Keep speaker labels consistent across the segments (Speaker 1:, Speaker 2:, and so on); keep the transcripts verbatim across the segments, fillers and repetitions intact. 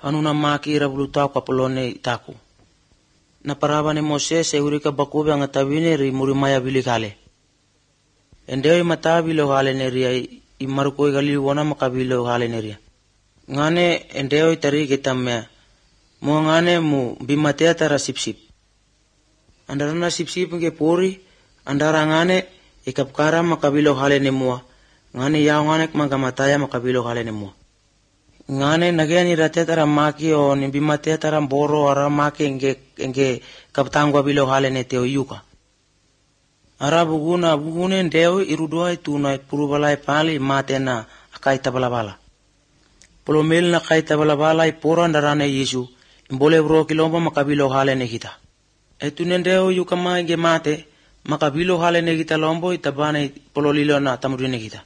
Speaker 1: anu na maki rabuluta kapolone itaku. Na paraba ni Moses e urika bakube ang atawine ri murimaya bilikale. Endeo matabilo hale neria imaruko galiwana makabilo hale neria. Ngane endeo itari kitamya. Mo ngane mu bimatea tara sip-sip. Andara na sip-sip nge pori, andara ngane ikapkara makabilo hale ne mua. Ngane yao ngane magamataya makabilo hale ne mua. Ngane nageni rate tara maki o ni bimatea tara boro ara maki nge nge kaptangwa bilo hale ne teo yuka. Ara buguna bugune ndeo irudua ituna purubalai pali matena akai tabalabala. Polomel na kai tabalabala iporo andarane Yesu. Mbole bro kilomba makabilo hale ne kita. Etu nendeo yuka mange mate makabilo hale ne kita lombo itabane pololilo na tamudine kita.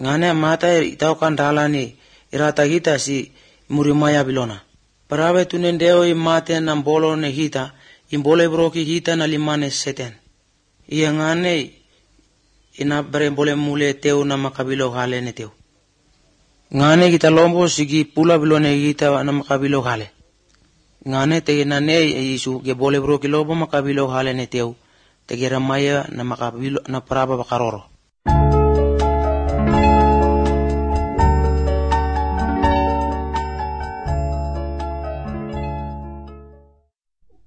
Speaker 1: Ngane mata itau kandala ni irata kita si murimaya bilona. Parawe tu nendeo i mate na mbolo ne kita imbole bro ki kita na limane seten. Iya ngane ina bare mbole mule teu na makabilo hale ne teu. Ngane kita lombo sigi pula bilone kita na makabilo hale. Ngane te nane Yesu ge bole bro kilobo makabilo hale ne teu te geramaya na makabilo na paraba bakaroro.